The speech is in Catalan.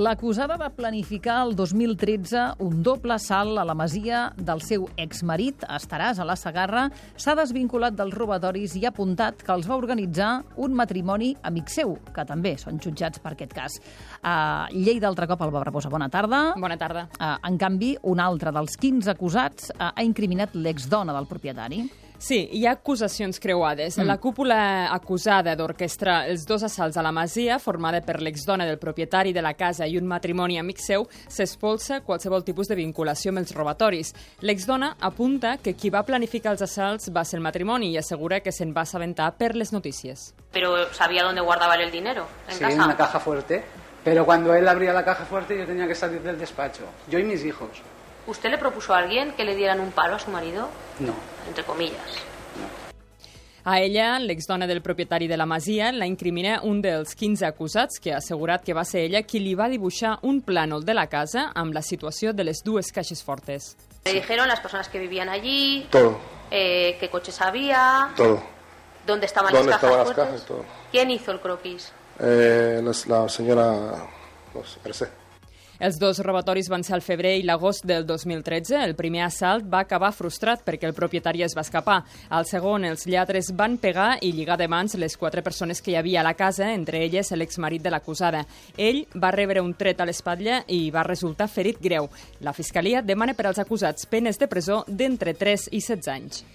L'acusada va planificar el 2013 un doble salt a la masia del seu exmarit, a Estaràs, a la Segarra. S'ha desvinculat dels robatoris i ha apuntat que els va organitzar un matrimoni amic seu, que també són jutjats per aquest cas. Lleida altre cop el va reposar. Bona tarda. Bona tarda. En canvi, un altre dels 15 acusats ha incriminat l'exdona del propietari. Sí, hi ha acusacions creuades. La cúpula acusada d'orquestrar els dos assalts a la masia, formada per l'exdona del propietari de la casa i un matrimoni amic seu, s'espolsa qualsevol tipus de vinculació amb els robatoris. L'exdona apunta que qui va planificar els assalts va ser el matrimoni i assegura que se'n va assabentar per les notícies. Pero sabía dónde guardaba el dinero, en Sí, casa. en una caja fuerte. Pero cuando él abría la caja fuerte yo tenía que salir del despacho. Yo y mis hijos. ¿Usted le propuso a alguien que le dieran un palo a su marido? No. Entre comillas. A ella, l'exdona del propietari de la masia, la incrimina un dels 15 acusats, que ha assegurat que va ser ella qui li va dibuixar un plànol de la casa amb la situació de les dues caixes fortes. Le dijeron las personas que vivían allí, Todo, qué coches había, todo. dónde estaban ¿Dónde las cajas estaban las fuertes. cajas? Todo. ¿Quién hizo el croquis? La señora, no sé, Mercè. Els dos robatoris van ser al febrer i l'agost del 2013. El primer assalt va acabar frustrat perquè el propietari es va escapar. Al segon, els lladres van pegar i lligar de mans les 4 persones que hi havia a la casa, entre elles l'exmarit de l'acusada. Ell va rebre un tret a l'espatlla i va resultar ferit greu. La Fiscalia demana per als acusats penes de presó d'entre 3 i 16 anys.